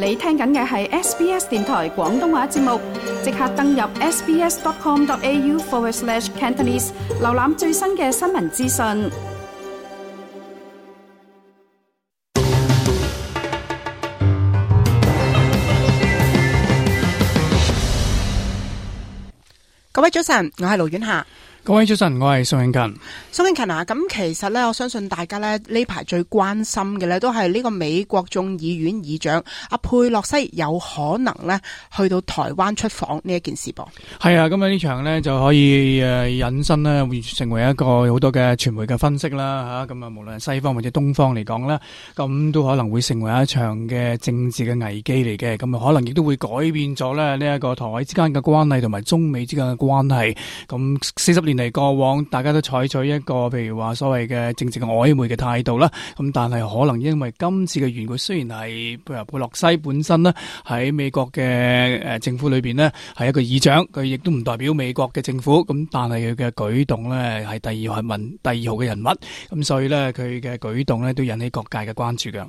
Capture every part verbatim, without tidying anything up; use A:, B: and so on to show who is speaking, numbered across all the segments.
A: 你聽緊嘅係 S B S 電台廣東話節目，即刻登入 sbs.com.au forward slash Cantonese， 瀏覽最新嘅新聞資訊。
B: 各位早晨，我係盧婉霞。
C: 各位早晨，我係宋慶勤。
B: 宋慶勤啊，咁其實咧，我相信大家咧呢排最關心嘅咧，都係呢個美國眾議院議長阿佩洛西有可能咧去到台灣出訪呢一件事噃。
C: 係啊，咁啊呢場呢就可以誒引申咧，會成為一個好多嘅傳媒嘅分析啦吓。咁啊，無論係西方或者東方嚟講啦，咁都可能會成為一場嘅政治嘅危機嚟嘅。咁啊，可能亦都會改變咗咧呢一個台海之間嘅關係同埋中美之間嘅關係。咁四十年嚟過往，大家都採取一個譬如話所謂嘅政治嘅曖昧嘅態度啦。咁但係可能因為今次嘅緣故，雖然係譬如佩洛西本身呢喺美國嘅誒政府裏邊呢係一個議長，佢亦都唔代表美國嘅政府。咁但係佢嘅舉動呢係第二號民第二號嘅人物，咁所以呢，佢嘅舉動呢都引起各界嘅關注㗎。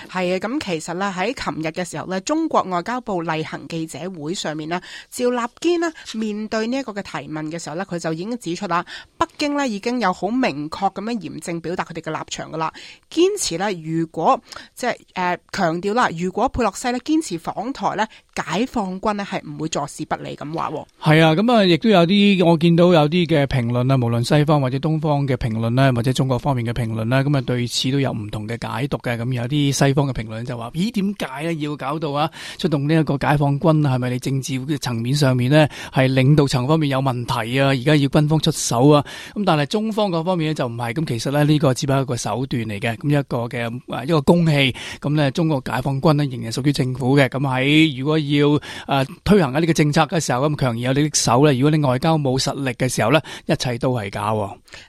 B: 係啊，咁其實咧喺琴日嘅時候咧，中國外交部例行記者會上面咧，趙立堅咧面對呢一個嘅提問嘅時候咧，佢就已經指出啦，北京咧已經有好明確咁樣嚴正表達佢哋嘅立場噶啦，堅持咧如果即係誒強調啦，如果佩洛西咧堅持訪台咧，解放軍咧係唔會坐視不理咁話。
C: 係啊，咁啊亦都有啲我見到有啲嘅評論啊，無論西方或者東方嘅評論咧，或者中國方面嘅評論咧，咁啊對此都有唔同嘅解讀嘅。咁有啲西方嘅評論就話：咦，點解咧要搞到啊出動呢一個解放軍？係咪你政治嘅層面上面呢係領導層方面有問題啊？而家要軍方出手啊？咁但係中方嗰方面咧就唔係。咁其實咧呢個只不過一個手段嚟嘅，咁一個嘅一個公器。咁咧中國解放軍呢仍然屬於政府嘅。咁喺如果要誒、呃、推行一啲嘅政策嘅時候，咁強而有力的手咧，如果你外交冇實力嘅時候咧，一切都係假。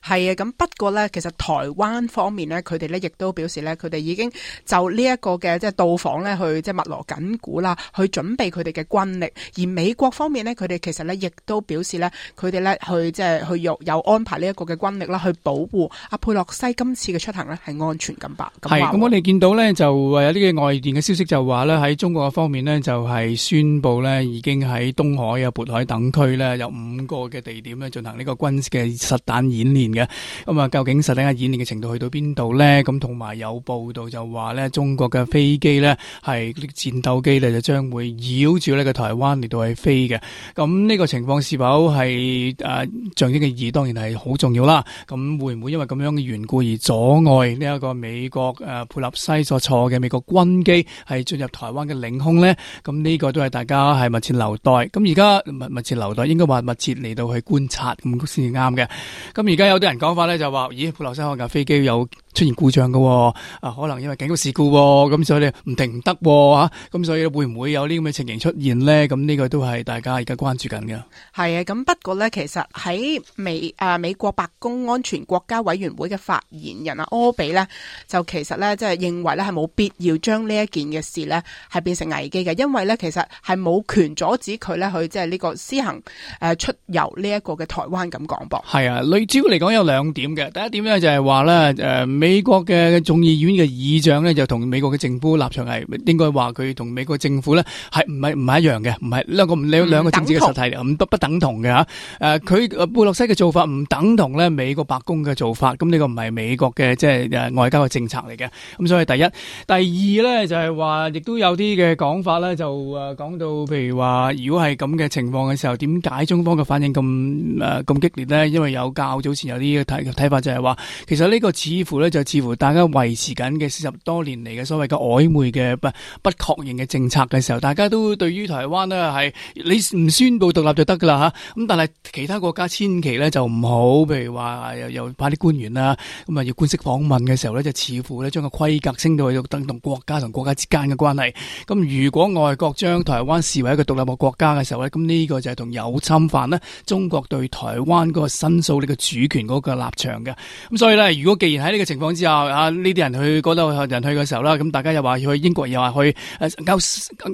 B: 係啊，咁不過咧，其實台灣方面咧，佢哋咧亦都表示咧，佢哋已經就呢一個嘅即係到訪咧，去即係密鑼緊鼓啦，去準備佢哋嘅軍力。而美國方面咧，佢哋其實咧亦都表示咧，佢哋咧去即係去有有安排呢一個嘅軍力啦，去保護阿佩洛西今次嘅出行咧係安全咁吧。
C: 係咁，我哋見到咧就誒有啲嘅外電嘅消息就話咧喺中國嘅方面咧就係宣布咧已經喺東海啊、渤海等區咧有五個嘅地點咧進行呢個軍事嘅實彈演練嘅。咁啊，究竟實彈嘅演練嘅程度去到邊度咧？咁同埋有報道就話咧，中國嘅飛機咧係啲戰鬥機咧就將會繞住呢個台灣嚟到去飛嘅。咁呢個情況是否係誒象徵嘅意義？當然係好重要啦。咁會唔會因為咁樣嘅緣故而阻礙呢一個美國誒佩洛西所坐嘅美國軍機係進入台灣嘅領空咧？咁呢個都係大家係密切留待。咁而家密密切留待，應該話密切嚟到去觀察咁先至啱嘅。咁而家有啲人講法咧就話，咦，佩洛西嗰架飛機有出現故障嘅，啊，可能因為警告事故，咁所以你唔停唔得吓，咁所以會唔會有呢咁嘅情形出現呢？咁呢個都係大家而家關注緊嘅。
B: 係啊，咁不過咧，其實喺美誒、呃、美國白宮安全國家委員會嘅發言人啊柯比咧，就其實咧即係認為咧係冇必要將呢一件嘅事咧係變成危機嘅，因為咧其實係冇權阻止佢咧去即係呢個施行誒、呃、出遊呢一個嘅台灣咁講噃。
C: 係啊，類主要嚟講有兩點嘅，第一點咧就係話咧誒美國嘅眾議院嘅議長咧就同美國嘅政府立場係應該話佢同美國政府咧係唔係唔係一樣嘅，唔係兩個兩兩個政治嘅實體唔不不等同嘅吓。誒佢佩洛西嘅做法唔等同咧美國白宮嘅做法，咁呢個唔係美國嘅即係誒外交嘅政策嚟嘅。咁所以第一，第二咧就係話亦都有啲嘅講法咧就誒講到譬如話如果係咁嘅情況嘅時候，點解中方嘅反應咁誒咁激烈咧？因為有較早前有啲嘅睇睇法就係話，其實呢個似乎咧就似乎大家維持緊嘅四十多年嚟嘅所謂嘅曖昧嘅不不確認嘅政策嘅時候，大家都對於台灣呢係你唔宣布獨立就得噶啦吓，咁但係其他國家千祈咧就唔好，譬如話又又派啲官員啦，咁啊要官式訪問嘅時候咧，就似乎咧將個規格升到去等同國家同國家之間嘅關係。咁如果外國將台灣視為一個獨立嘅國家嘅時候咧，咁呢個就係同有侵犯呢中國對台灣嗰個申訴呢個主權嗰個立場嘅。咁所以咧，如果既然喺呢個情況之下啊，呢啲人去嗰度人去嘅時候啦，咁大家又話要去英國，又話去誒歐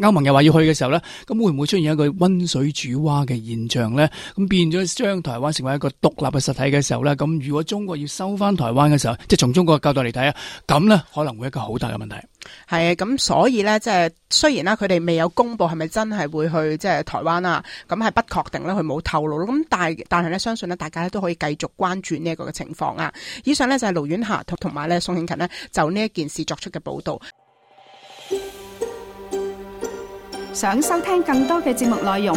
C: 歐盟又話要去嘅時候咧，咁會唔會出現一個溫水煮蛙嘅現象咧？咁變咗將台灣成為一個獨立嘅實體嘅時候咧，咁如果中國要收翻台灣嘅時候，即係從中國嘅角度嚟睇啊，咁咧可能會一個好大嘅問題。
B: 係咁，所以咧，即係雖然啦，佢哋未有公布係咪真係會去即係台灣啊，咁係不確定啦，佢冇透露咯。咁但係但係咧，相信咧，大家咧都可以繼續關注呢一個嘅情況啊。以上咧就係盧婉霞同同埋咧宋慶勤呢就呢一件事作出嘅報導。
A: 想收聽更多嘅節目內容，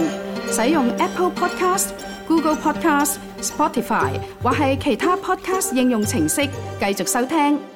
A: 使用 Apple Podcast、Google Podcast、Spotify 或係其他 Podcast 應用程式繼續收聽。